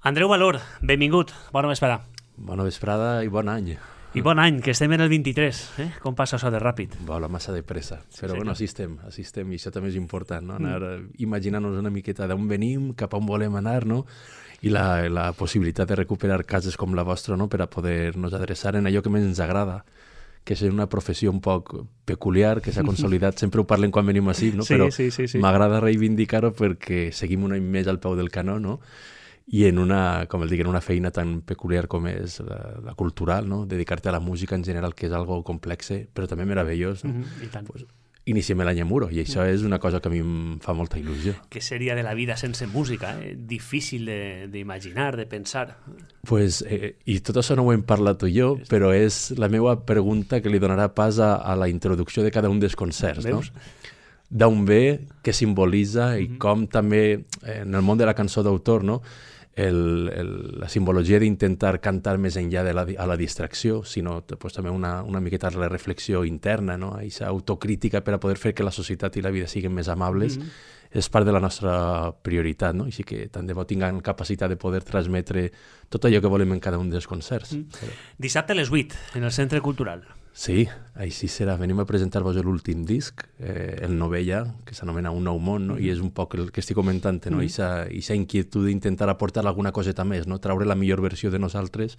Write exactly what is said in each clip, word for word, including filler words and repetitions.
Andreu Valor, benvingut, bona vesprada. Bona vesprada i bon any. I bon any, que estem en el vint-i-tres, eh? Com passa això de ràpid? Vola massa de pressa, però Sí, bueno, senyor. així estem, així estem, i això també és important, no? Anar mm. imaginant-nos una miqueta d'on venim, cap a on volem anar, no? I la, la possibilitat de recuperar cases com la vostra, no? Per a poder-nos adreçar en allò que més ens agrada, que és una professió un poc peculiar, que s'ha consolidat, sempre ho parlem quan venim així, no? Sí, Però sí, sí, sí. m'agrada reivindicar-ho perquè seguim un any més al peu del canó, no? I en una, com el dic, en una feina tan peculiar com és la, la cultural, no? Dedicar-te a la música en general, que és algo complexe, però també meravellós, no? Mm-hmm, i tant. Pues, iniciem l'any a Muro, i això és una cosa que a mi em fa molta il·lusió. Què seria de la vida sense música? Eh? Difícil de- d'imaginar, de, de pensar. Pues, eh, I tot això no ho hem parlat tu i jo, però és la meva pregunta que li donarà pas a, a la introducció de cada un dels concerts, no? Veus? D'on ve, què simbolitza i Mhm. com també, eh, en el món de la cançó d'autor, no? El, el, la simbologia d'intentar cantar més enllà de la, di- a la distracció, sinó pues, també una, una miqueta la reflexió interna, no? Aquesta autocrítica per a poder fer que la societat i la vida siguin més amables, Mhm. és part de la nostra prioritat, no? Així que tant de bo tinguem capacitat de poder transmetre tot allò que volem en cada un dels concerts. Mm. Però... Dissabte a les vuit, en el Centre Cultural. Sí, així serà. Venim a presentar-vos l'últim disc, eh, el novè ja, que s'anomena Un nou món, no? I és un poc el que estic comentant, no? Mhm. Ixa, ixa inquietud d'intentar aportar alguna coseta més, no? Traure la millor versió de nosaltres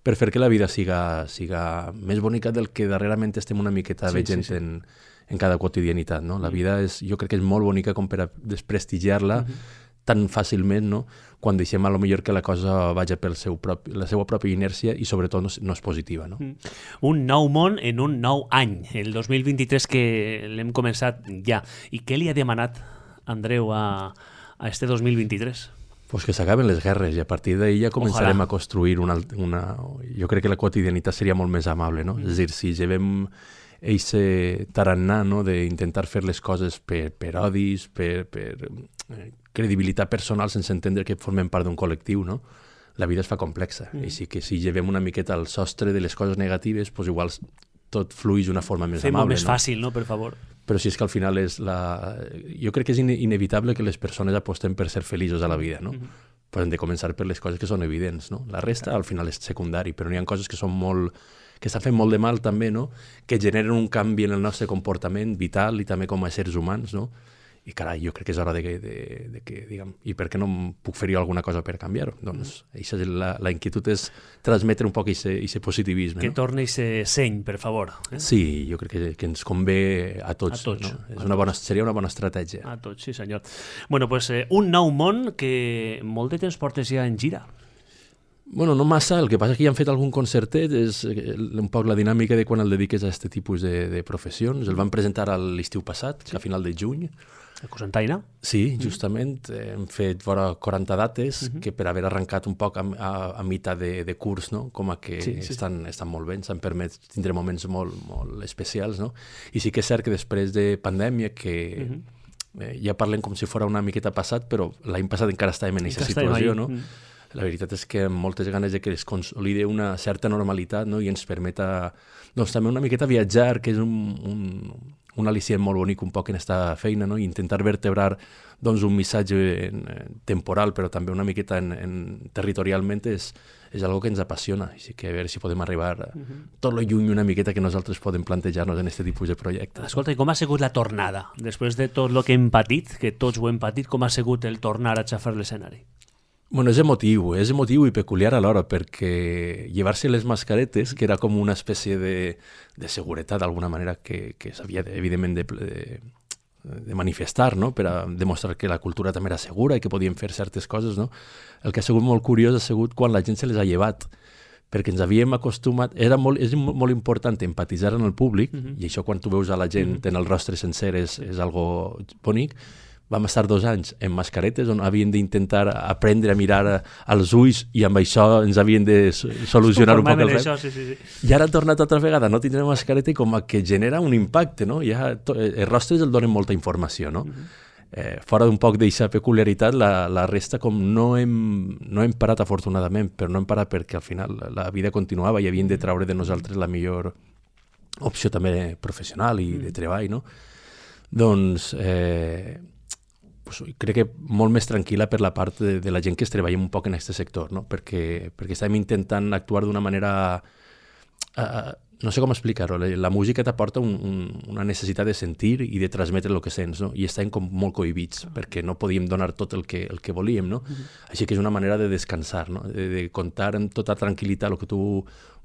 per fer que la vida siga, siga més bonica del que darrerament estem una miqueta Sí, veient sí, sí. En, en cada quotidianitat, no? La vida és, jo crec que és molt bonica com per a desprestigiar-la tan fàcilment, no? Quan deixem a lo millor que la cosa vagi per seu propi, la seva pròpia inèrcia i sobretot no és, no és positiva, no? Un nou món en un nou any, el dos mil vint-i-tres que l'hem començat ja. I què li ha demanat Andreu a, a este dos mil vint-i-tres? Pues que s'acaben les guerres i a partir d'ahir ja començarem Ojalà. a construir una, una... Jo crec que la quotidianitat seria molt més amable, no? Mm. És a dir, si llevem eixe tarannà, no?, d'intentar fer les coses per, per odis, per, per eh, credibilitat personal sense entendre que formem part d'un col·lectiu, no? La vida es fa complexa. Mm. Així que si llevem una miqueta al sostre de les coses negatives, pues igual tot fluix d'una forma més Fem-ho amable, més no? fàcil, no?, per favor. Però si és que al final és la... Jo crec que és ine inevitable que les persones apostem per ser feliços a la vida, no? Mhm. Però hem de començar per les coses que són evidents, no? La resta al final és secundari, però n'hi ha coses que són molt... que estan fent molt de mal també, no? Que generen un canvi en el nostre comportament vital i també com a éssers humans, no? I carai, jo crec que és hora de que, de, de que diguem, i per què no em puc fer jo alguna cosa per canviar-ho? Doncs això és la, la inquietud és transmetre un poc aquest positivisme, Que no? torni ese seny, per favor. Eh? Sí, jo crec que, que ens convé a tots. A tots, No? a És una bona, seria una bona estratègia. A tots, sí senyor. Bueno, pues eh, un nou món que molt de temps portes ja en gira. Bueno, no massa, el que passa és que ja han fet algun concertet, és eh, un poc la dinàmica de quan el dediques a aquest tipus de, de professions. El van presentar a l'estiu passat, sí. A final de juny. A Cosentaina. Sí, justament, eh, hem fet vora quaranta dates, uh -huh. que per haver arrencat un poc a, a, a meitat de, de curs, no? Com a que Sí, sí, estan, estan molt bé, ens han permès tindre moments molt, molt especials, no? I sí que és cert que després de pandèmia, que uh -huh. eh, ja parlem com si fos una miqueta passat, però l'any passat encara estàvem en aquesta situació, no? Mm. La veritat és que amb moltes ganes de que es consolide una certa normalitat, no? I ens permeta doncs, també una miqueta viatjar, que és un, un, un al·licient molt bonic un poc en aquesta feina, no? I intentar vertebrar doncs, un missatge en, en temporal, però també una miqueta en, en, territorialment és, és algo que ens apassiona. Així que a veure si podem arribar a tot lo lluny una miqueta que nosaltres podem plantejar-nos en aquest tipus de projectes. Escolta, i com ha sigut la tornada? Després de tot el que hem patit, que tots ho hem patit, com ha sigut el tornar a xafar l'escenari? Bueno, és emotiu, és emotiu i peculiar alhora, perquè llevar-se les mascaretes, que era com una espècie de, de seguretat d'alguna manera que, que s'havia, evidentment, de, de, de manifestar, no? Per a demostrar que la cultura també era segura i que podien fer certes coses, no? El que ha sigut molt curiós ha sigut quan la gent se les ha llevat, perquè ens havíem acostumat... Era molt, és molt important empatitzar en el públic, Mhm. i això quan tu veus a la gent Mhm. en el rostre sencer és, és algo bonic. Vam estar dos anys en mascaretes on havíem d'intentar aprendre a mirar als ulls i amb això ens havien de so- solucionar un poc el això, repte. sí, sí, sí. I ara ha tornat altra vegada a no tindre mascareta i com a que genera un impacte, no? Ja, to, els rostres el donen molta informació, no? Eh, fora d'un poc d'aquesta peculiaritat, la, la resta com no hem, no hem parat afortunadament, però no hem parat perquè al final la vida continuava i havien de treure de nosaltres la millor opció també professional i de treball, no? Doncs... Eh, pues, crec que molt més tranquil·la per la part de, de la gent que es treballa un poc en aquest sector, no? perquè, perquè estem intentant actuar d'una manera... Uh, no sé com explicar-ho, la, la música t'aporta un, un, una necessitat de sentir i de transmetre el que sents, no? I estem com molt cohibits, perquè no podíem donar tot el que, el que volíem, no? Mm-hmm. Així que és una manera de descansar, no? De, de contar amb tota tranquil·litat el que tu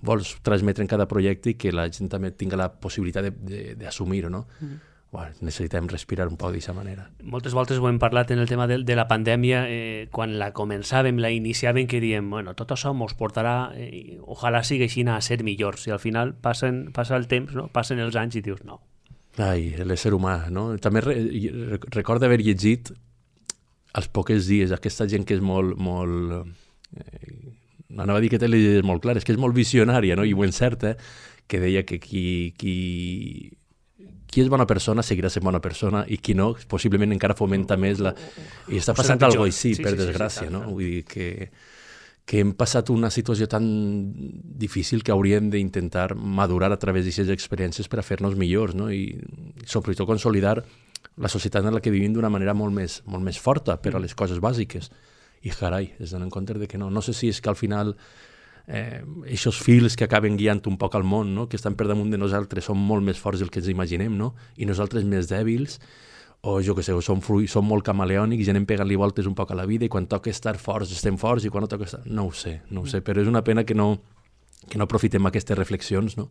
vols transmetre en cada projecte i que la gent també tinga la possibilitat d'assumir-ho, no? Mm-hmm. Bueno, necessitem respirar un poc d'aquesta manera. Moltes voltes ho hem parlat en el tema de, de la pandèmia, eh, quan la començàvem, la iniciàvem, que diem, bueno, tot això mos portarà, eh, ojalà sigui així a ser millors, i al final passen, passa el temps, no? Passen els anys i dius, no. Ai, l'ésser humà, no? També re, recordo haver llegit als pocs dies aquesta gent que és molt... molt eh, anava a dir que té les idees molt clares, que és molt visionària, no? I ho encerta, que deia que qui... qui qui és bona persona seguirà sent bona persona i qui no, possiblement encara fomenta més la... I està passant alguna cosa així, sí, per sí, desgràcia, sí, sí, no? Vull dir que, que hem passat una situació tan difícil que hauríem d'intentar madurar a través d'aquestes experiències per a fer-nos millors, no? I sobretot consolidar la societat en la que vivim d'una manera molt més, molt més forta per a les coses bàsiques. I carai, es donen compte de que no. No sé si és que al final... Eh, aquests fils que acaben guiant un poc al món, no? Que estan per damunt de nosaltres, són molt més forts del que ens imaginem, no? I nosaltres més dèbils, o jo què sé, o som, fruit, som molt camaleònics i anem pegant-li voltes un poc a la vida i quan toca estar forts estem forts i quan no toca estar... No ho sé, no ho sé, però és una pena que no, que no aprofitem aquestes reflexions, no?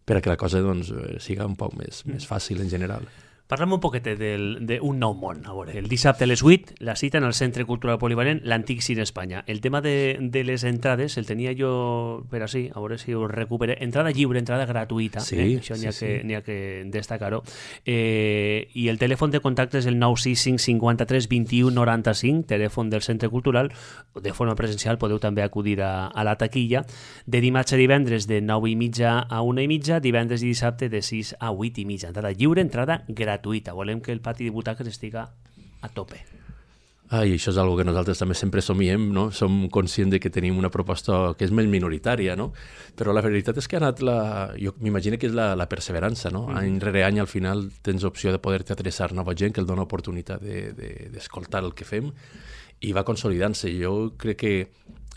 Per a que la cosa doncs, siga un poc més, més fàcil en general. Parlem un poquet d'un nou món. A veure, el dissabte a les vuit, la cita en el Centre Cultural Polivalent, l'Antic Cine Espanya. El tema de, de les entrades el tenia jo per així, a veure si ho recupere. Entrada lliure, entrada gratuïta. Sí, eh? Això n'hi ha, sí, sí. ha que destacar-ho. Eh, I el telèfon de contacte és el nou sis cinc cinquanta-tres vint-i-u noranta-cinc, telèfon del Centre Cultural. De forma presencial podeu també acudir a, a la taquilla. De dimarts a divendres de nou i mitja a una i mitja, divendres i dissabte de sis a vuit i mitja. Entrada lliure, entrada gratuïta. gratuïta. Volem que el pati de butaques estiga a tope. Ah, i això és una que nosaltres també sempre somiem, no? Som conscients de que tenim una proposta que és més minoritària, no? Però la veritat és que ha anat la... Jo m'imagino que és la, la perseverança, no? Mm. Any rere any, al final, tens opció de poder-te adreçar nova gent que el dona oportunitat d'escoltar de, de, el que fem i va consolidant-se. Jo crec que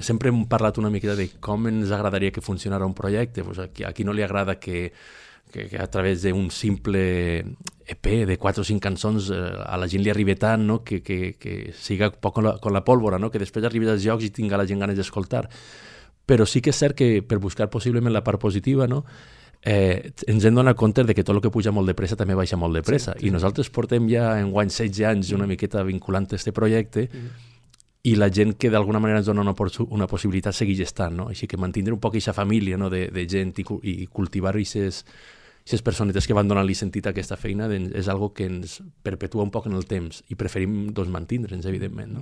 sempre hem parlat una miqueta de com ens agradaria que funcionara un projecte. Pues a, qui, a qui no li agrada que que, que a través d'un simple E P de quatre o cinc cançons eh, a la gent li arribi tant, no? que, que, que siga poc con la, con la pólvora, no? Que després arribis als jocs i tinga la gent ganes d'escoltar. Però sí que és cert que per buscar possiblement la part positiva, no? eh, ens hem donat compte de que tot el que puja molt de pressa també baixa molt de pressa. Sí, sí. I nosaltres portem ja en guany setze anys una miqueta vinculant aquest projecte mm. i la gent que d'alguna manera ens dona una, una possibilitat segueix estant, no? Així que mantindre un poc aquesta família, no? de, de gent i, i cultivar aquestes aquestes personetes que van donar-li sentit a aquesta feina és algo que ens perpetua un poc en el temps i preferim doncs, mantindre'ns, evidentment. No?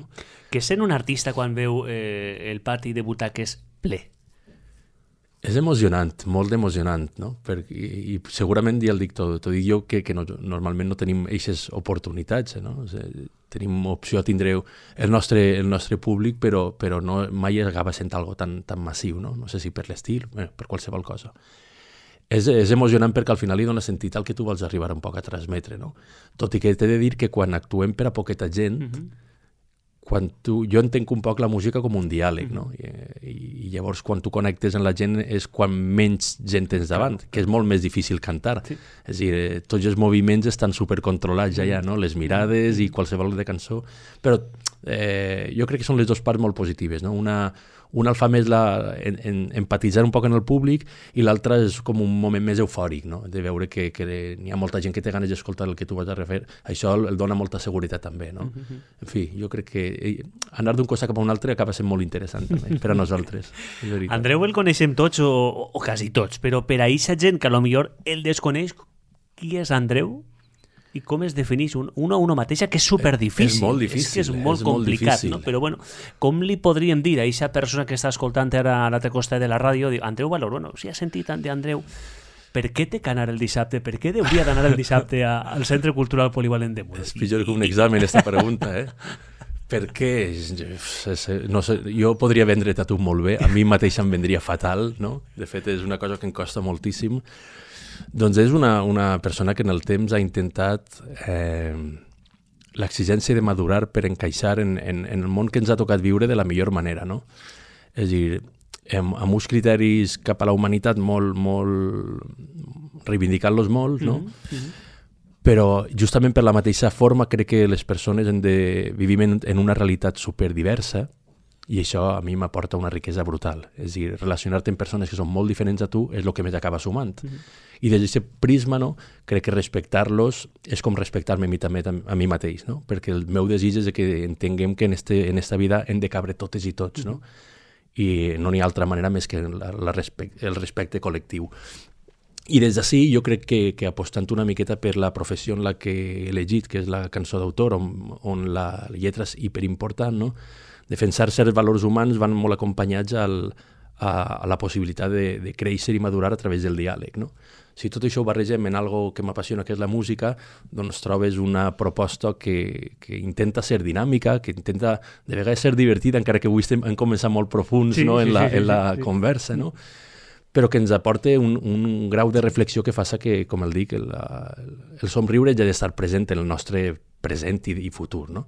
Què sent un artista quan veu eh, el pati de butaques ple? És emocionant, molt emocionant, no? Perquè, i, i segurament ja el dic tot, tot dic jo que, que no, normalment no tenim aquestes oportunitats, no? O sigui, tenim opció a tindre el nostre, el nostre públic, però, però no, mai acaba sent algo tan, tan massiu, no? No sé si per l'estil, bueno, per qualsevol cosa. És, és emocionant perquè al final li dona sentit al que tu vols arribar un poc a transmetre, no? Tot i que t'he de dir que quan actuem per a poqueta gent, mm-hmm. quan tu, jo entenc un poc la música com un diàleg, no? I, i llavors quan tu connectes amb la gent és quan menys gent tens davant, que és molt més difícil cantar. Sí. És a dir, tots els moviments estan supercontrolats ja, ja, no? Les mirades i qualsevol de cançó, però eh, jo crec que són les dues parts molt positives, no? Una Una el fa més la, en, en, empatitzar un poc en el públic i l'altra és com un moment més eufòric, no? De veure que, que n'hi ha molta gent que té ganes d'escoltar el que tu vas a refer. Això el dona molta seguretat també, no? Mm-hmm. En fi, jo crec que anar d'un costat cap a un altre acaba sent molt interessant també, per a nosaltres. Andreu el coneixem tots o, o quasi tots, però per a aquesta gent que potser el desconeix, qui és Andreu? I com es defineix un, una a una mateixa, que és superdifícil. És molt difícil. És que és molt és complicat, molt no? Però bueno, com li podríem dir a aquesta persona que està escoltant ara a l'altre costat de la ràdio, diu, Andreu Valor, bueno, si ha sentit tant d'Andreu, per què té que anar el dissabte? Per què hauria d'anar el dissabte a, al Centre Cultural Polivalent de Muro? És pitjor que un examen, aquesta pregunta, eh? Per què? No sé, jo podria vendre-te a tu molt bé, a mi mateix em vendria fatal, no? De fet, és una cosa que em costa moltíssim. Doncs és una, una persona que en el temps ha intentat eh, l'exigència de madurar per encaixar en, en, en el món que ens ha tocat viure de la millor manera, no? És a dir, amb, amb uns criteris cap a la humanitat molt, molt reivindicant-los molt, no? Mm-hmm. Però justament per la mateixa forma crec que les persones hem de vivim en, en una realitat superdiversa i això a mi m'aporta una riquesa brutal. És a dir, relacionar-te amb persones que són molt diferents a tu és el que més acaba sumant. Mm-hmm. I des d'aquest prisma, no, crec que respectar-los és com respectar-me a mi també a mi mateix, no? Perquè el meu desig és que entenguem que en, este, en esta vida hem de cabre totes i tots, no? I no n'hi ha altra manera més que la, la respect, el respecte col·lectiu. I des d'ací jo crec que, que apostant una miqueta per la professió en la que he elegit, que és la cançó d'autor, on, on la lletra és hiperimportant, no? Defensar certs valors humans van molt acompanyats al, a, a la possibilitat de, de créixer i madurar a través del diàleg, no? Si tot això ho barregem en algo que m'apassiona, que és la música, doncs trobes una proposta que, que intenta ser dinàmica, que intenta de vegades ser divertida, encara que avui estem, hem començat molt profuns, sí, no? sí, en la, sí, sí, en la sí, conversa, no? Però que ens aporta un, un grau de reflexió que fa que, com el dic, el, el somriure ja ha d'estar present en el nostre present i, i futur, no?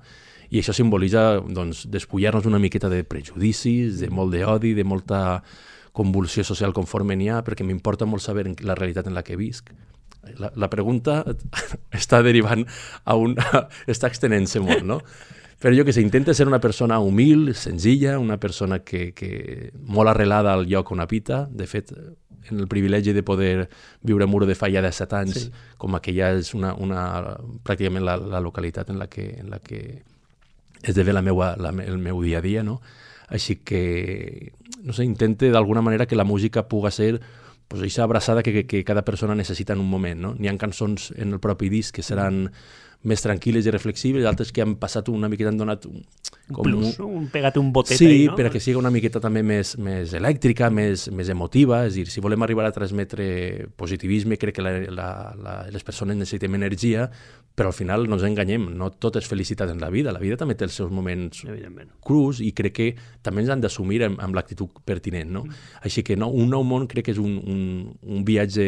I això simbolitza doncs, despullar-nos una miqueta de prejudicis, de molt d'odi, de molta convulsió social conforme n'hi ha, perquè m'importa molt saber la realitat en la que visc. La, la pregunta està derivant a un... està extenent-se molt, no? Però jo que sé, intenta ser una persona humil, senzilla, una persona que, que molt arrelada al lloc on habita. De fet, en el privilegi de poder viure a Muro de Fai ja de set anys, sí. Com que ja és una, una, pràcticament la, la localitat en la que, en la que esdevé la meua, la, el meu dia a dia, no? Així que, no sé, intente d'alguna manera que la música puga ser pues, aquesta abraçada que, que, que cada persona necessita en un moment, no? N'hi ha cançons en el propi disc que seran més tranquil·les i reflexives, altres que han passat una miqueta, han donat un, com plus, un, un pegat un botet sí, ahí, no? Sí, perquè sigui una miqueta també més, més elèctrica, més, més emotiva, és a dir, si volem arribar a transmetre positivisme, crec que la, la, la, les persones necessitem energia, però al final no ens enganyem, no tot és felicitat en la vida, la vida també té els seus moments crus i crec que també ens han d'assumir amb, amb l'actitud pertinent, no? Mm. Així que no, un nou món crec que és un, un, un viatge,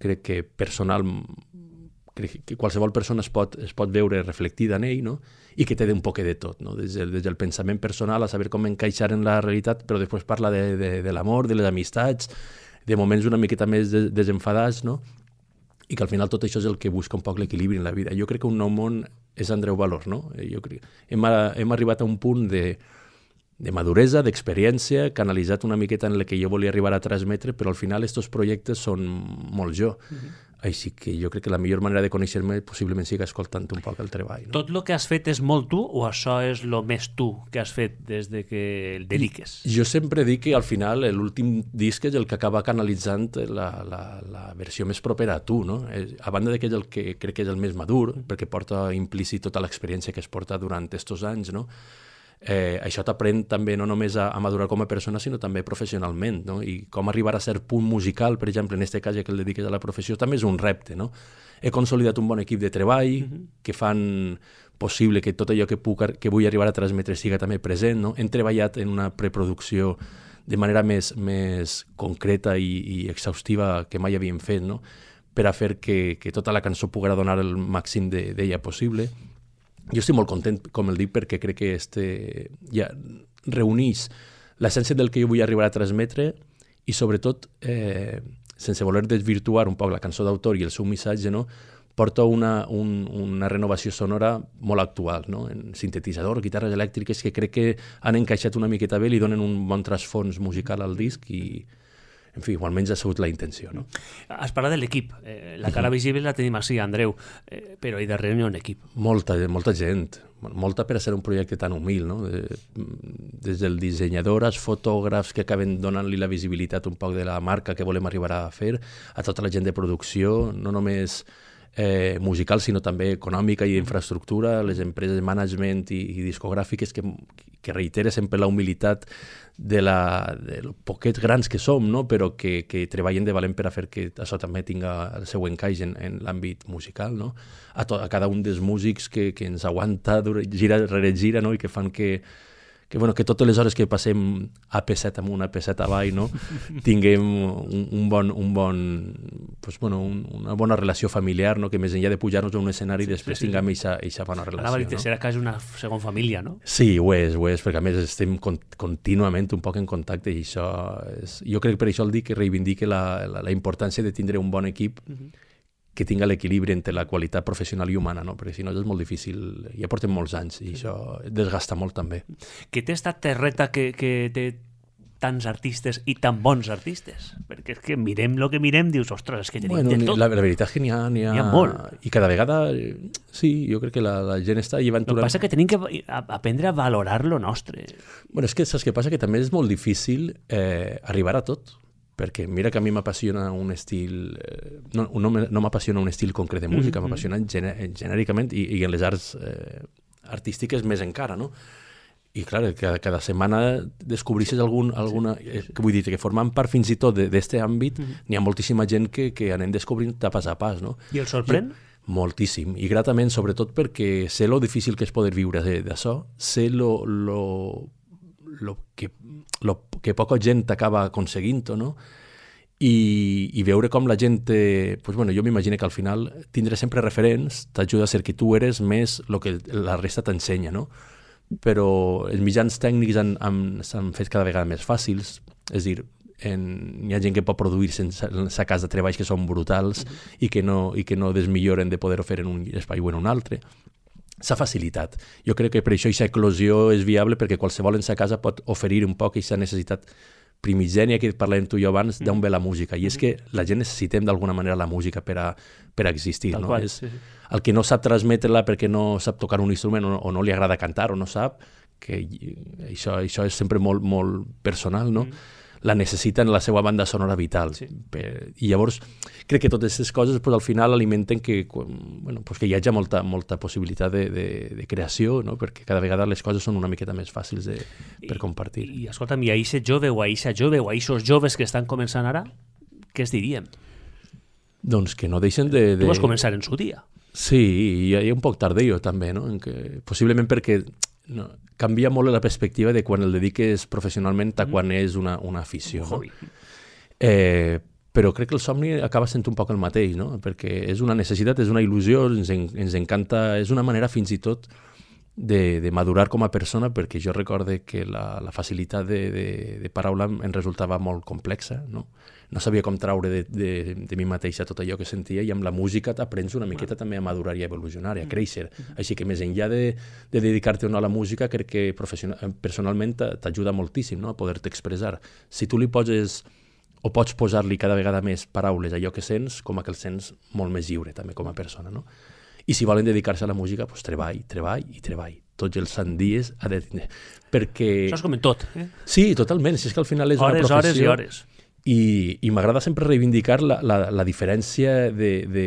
crec que personal, que qualsevol persona es pot, es pot veure reflectida en ell, no? I que té un poc de tot, no? Des del, des del pensament personal a saber com encaixar en la realitat, però després parla de, de, de l'amor, de les amistats, de moments una miqueta més de, desenfadats, no? I que al final tot això és el que busca un poc l'equilibri en la vida. Jo crec que un nou món és Andreu Valor, no? Jo crec, hem, hem arribat a un punt de, de maduresa, d'experiència, canalitzat una miqueta en la que jo volia arribar a transmetre, però al final aquests projectes són molt jo. Mm-hmm. Així que jo crec que la millor manera de conèixer-me possiblement sigui escoltant un poc el treball. No? Tot el que has fet és molt tu o això és el més tu que has fet des de que el dediques? Jo sempre dic que al final l'últim disc és el que acaba canalitzant la, la, la versió més propera a tu, no? A banda de que és el que crec que és el més madur, perquè porta implícit tota l'experiència que es porta durant aquests anys, no? Eh, això t'aprèn també no només a, a madurar com a persona, sinó també professionalment, no? I com arribar a ser punt musical, per exemple, en aquest cas que el dediques a la professió, també és un repte, no? He consolidat un bon equip de treball mm-hmm. que fan possible que tot allò que, puc, que vull arribar a transmetre siga també present, no? Hem treballat en una preproducció de manera més, més concreta i, i exhaustiva que mai havíem fet, no? Per a fer que, que tota la cançó poguera donar el màxim d'ella possible. Jo estic molt content, com el dic, perquè crec que este ja reuneix l'essència del que jo vull arribar a transmetre i, sobretot, eh, sense voler desvirtuar un poc la cançó d'autor i el seu missatge, no? Porta una, un, una renovació sonora molt actual, no? En sintetitzador, guitarres elèctriques, que crec que han encaixat una miqueta bé, li donen un bon trasfons musical al disc i, en fi, almenys ha sigut la intenció, no? Has parlat de l'equip. Eh, la cara visible la tenim així, Andreu, eh, però hi darrere n'hi ha un equip. Molta, molta gent. Molta per a ser un projecte tan humil, no? Des del dissenyador als fotògrafs que acaben donant-li la visibilitat un poc de la marca que volem arribar a fer, a tota la gent de producció, no només eh, musical, sinó també econòmica i d'infraestructura, les empreses de management i, i discogràfiques que, que reitera sempre la humilitat de, la, de los poquets grans que som, no? Però que, que treballen de valent per a fer que això també tinga el seu encaix en, en l'àmbit musical, no? A, to, a cada un dels músics que, que ens aguanta gira rere gira, no? I que fan que, que, bueno, que totes les hores que passem a P set amunt, a P set avall, no? tinguem un, un bon, un bon, pues, bueno, un, una bona relació familiar, no? Que més enllà de pujar-nos a un escenari sí, després sí, sí, tinguem aquesta bona relació. Anava a dir, no? serà quasi una segona família, no? Sí, ho és, ho és, perquè a més estem con contínuament un poc en contacte i això és... Jo crec que per això el dic que reivindique la, la, la importància de tindre un bon equip uh-huh. que tinga l'equilibri entre la qualitat professional i humana, no? Perquè si no és molt difícil, ja portem molts anys i això desgasta molt també. Què té esta terreta que, que té tants artistes i tan bons artistes? Perquè és que mirem el que mirem, dius, ostres, és que tenim bueno, de tot. La, la veritat és que n'hi ha, n'hi ha... N'hi ha molt. I cada vegada, sí, jo crec que la, la gent està llevant... El que passa és que tenim que aprendre a valorar lo nostre. Bueno, és que saps què passa? Que també és molt difícil eh, arribar a tot. Perquè mira que a mi m'apassiona un estil... Eh, no no, no m'apassiona un estil concret de música, mm-hmm. m'apassiona gené genèricament i, i en les arts eh, artístiques més encara, no? I clar, cada, cada setmana descobrisses algun, alguna... Eh, que vull dir, que formant part fins i tot d'aquest àmbit, mm-hmm. n'hi ha moltíssima gent que, que anem descobrint de pas a pas, no? I el sorprèn? Jo, moltíssim, i gratament, sobretot perquè sé lo difícil que és poder viure d'això, sé lo... lo lo que, lo que poca gent acaba aconseguint-ho, no? I, i veure com la gent... Eh, pues bueno, jo m'imagino que al final tindre sempre referents t'ajuda a ser que tu eres més el que la resta t'ensenya, no? Però els mitjans tècnics s'han fet cada vegada més fàcils, és a dir, en, hi ha gent que pot produir sense, sense cas de treballs que són brutals mm-hmm. i, que no, i que no desmilloren de poder-ho fer en un espai o en un altre. S'ha facilitat. Jo crec que per això aquesta eclosió és viable perquè qualsevol en sa casa pot oferir un poc aquesta necessitat primigènia que parlàvem tu i jo abans d'on ve la música. I és que la gent necessitem d'alguna manera la música per a, per a existir. No? Qual, és, sí, sí. El que no sap transmetre-la perquè no sap tocar un instrument o no, o no li agrada cantar o no sap, que això, això és sempre molt, molt personal, no? Mm. La necessita en la seva banda sonora vital. Sí. Per, I llavors crec que totes aquestes coses pues, al final alimenten que, bueno, pues, que hi hagi molta, molta possibilitat de, de, de creació, no? Perquè cada vegada les coses són una miqueta més fàcils de, per compartir. I, i escolta'm, i a eixe jove o a eixa jove o a eixos joves que estan començant ara, què es diríem? Doncs que no deixen de... de... Tu vas començar en su dia. Sí, i, i un poc tardeo també, no? En que, possiblement perquè... No, canvia molt la perspectiva de quan el dediques professionalment a quan és una, una afició. No? Eh, però crec que el somni acaba sent un poc el mateix, no? Perquè és una necessitat, és una il·lusió, ens, en, ens encanta, és una manera fins i tot de, de madurar com a persona, perquè jo recorde que la, la facilitat de, de, de paraula em resultava molt complexa, no? No sabia com traure de, de, de mi mateixa tot allò que sentia i amb la música t'aprens una miqueta ah. també a madurar i a evolucionar i a créixer. Mm-hmm. Així que més enllà de, de dedicar-te o no a la música, crec que personalment t'ajuda moltíssim, no? A poder-te expressar. Si tu li poses o pots posar-li cada vegada més paraules a allò que sents, com a que el sents molt més lliure també com a persona, no? I si volen dedicar-se a la música, doncs treball, treball i treball. Tots els sant dies ha de tenir. Perquè... Això és com en tot. Eh? Sí, totalment. Si és que al final és hores, una professió... Hores i hores. I, i m'agrada sempre reivindicar la, la, la diferència de, de,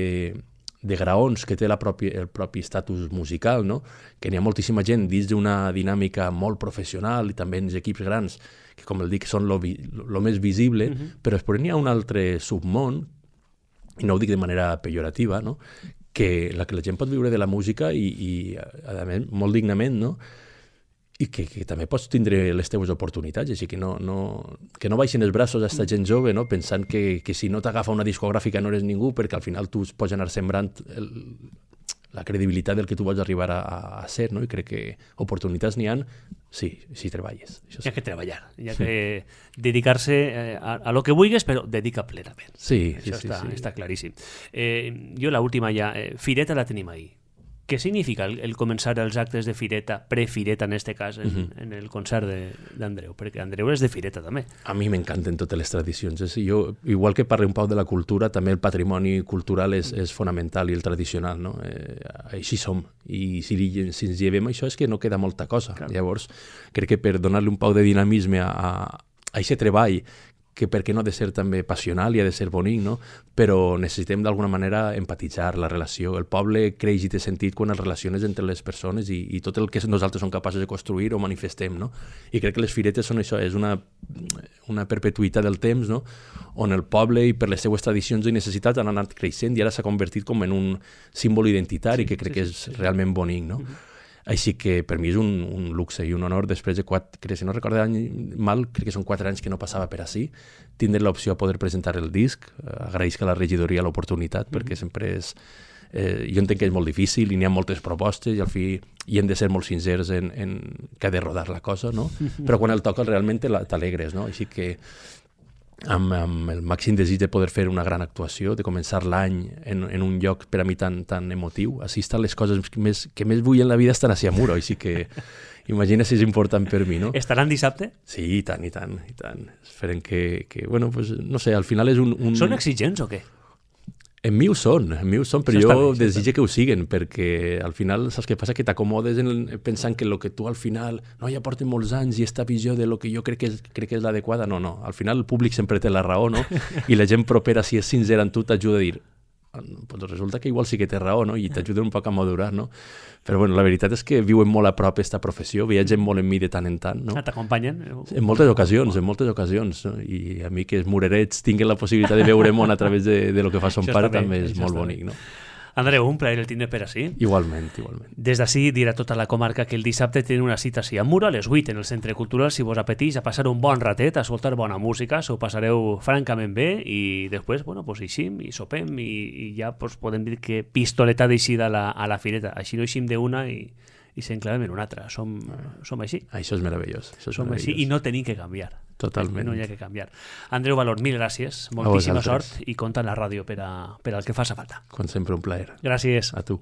de graons que té la propi, el propi estatus musical, no? Que n'hi ha moltíssima gent dins d'una dinàmica molt professional i també en els equips grans, que com el dic són lo, lo més visible, uh-huh. però després n'hi ha un altre submón, i no ho dic de manera pejorativa, no? Que la que la gent pot viure de la música i, i a més, molt dignament, no? I que, que també pots tindre les teves oportunitats, així que no, no, que no baixin els braços a aquesta gent jove, no? Pensant que, que si no t'agafa una discogràfica no eres ningú, perquè al final tu pots anar sembrant el, la credibilitat del que tu vols arribar a, a ser, no? I crec que oportunitats n'hi ha, sí, si treballes. Això sí. Hi ha que treballar, hi ha que dedicar-se a, a lo que vulguis, però dedica plenament. Sí, Això sí, està, sí, sí. està claríssim. Eh, jo la última ja, eh, Fireta la tenim ahí. Què significa el, el començar els actes de Fireta, pre-Fireta en este cas, en, uh-huh. en el concert d'Andreu? Perquè Andreu és de Fireta també. A mi m'encanten totes les tradicions. És, jo, igual que parlo un poc de la cultura, també el patrimoni cultural és, és fonamental i el tradicional, no? Eh, així som. I si, si ens llevem això és que no queda molta cosa. Clar. Llavors, crec que per donar-li un poc de dinamisme a, a, a aquest treball, que per què no ha de ser també passional i ha de ser bonic, no? Però necessitem d'alguna manera empatitzar la relació. El poble creix i té sentit quan es relaciones entre les persones i, i tot el que nosaltres som capaços de construir o manifestem, no? I crec que les firetes són això, és una, una perpetuïtat del temps, no? On el poble i per les seues tradicions i necessitats han anat creixent i ara s'ha convertit com en un símbol identitari sí, que crec sí, que és sí, sí. realment bonic, no? Uh-huh. Així que per mi és un, un luxe i un honor, després de quatre, crec, si no recordo any mal, crec que són quatre anys que no passava per ací, tindre l'opció a poder presentar el disc. Agraïsc a la regidoria l'oportunitat, mm-hmm. perquè sempre és... Eh, jo entenc que és molt difícil i n'hi ha moltes propostes i al fi hi hem de ser molt sincers en, en que ha de rodar la cosa, no? Però quan el toques realment t'alegres, no? Així que amb, amb el màxim desig de poder fer una gran actuació, de començar l'any en, en un lloc per a mi tan, tan emotiu. Així estan les coses que més, que més vull en la vida estan a Muro, així que imagina si és important per mi, no? Estaran dissabte? Sí, i tant, i tant, i tant. Esperem que, que bueno, pues, no sé, al final és un... un... Són exigents o què? En mi ho són, en mi ho són, però jo desitge que ho siguen, perquè al final, saps què passa? Que t'acomodes en el, pensant que el que tu al final, no, ja porten molts anys i esta visió de lo que jo crec que és, crec que és l'adequada, no, no, al final el públic sempre té la raó, no? I la gent propera, si és sincera en tu, t'ajuda a dir, pues resulta que igual sí que té raó, no? I t'ajuda un poc a madurar, no? Però bueno, la veritat és que viuen molt a prop aquesta professió, viatgen molt en mi de tant en tant, no? Ah, t'acompanyen? En moltes ocasions, en moltes ocasions, no? I a mi que els murerets tinguin la possibilitat de veure món a través de, de lo que fa son pare també és molt bonic, no? Andreu, un plaer el tindre per ací. Igualment, igualment. Des d'ací dirà tota la comarca que el dissabte tenen una cita així a Muro a les vuit en el Centre Cultural, si vos apeteix a passar un bon ratet, a escoltar bona música, s'ho passareu francament bé i després, bueno, pues eixim i sopem i, i ja pues, podem dir que pistoleta d'eixida a la, a la fireta. Així no eixim d'una i, i s'enclavem en una altra. Som, som així. Això és meravellós. Això és som meravellós. així i no tenim que canviar. Totalment. No hi ha que canviar. Andreu Valor, mil gràcies, moltíssima sort i compta en la ràdio per, a, per al que faci falta. Com sempre, un plaer. Gràcies. A tu.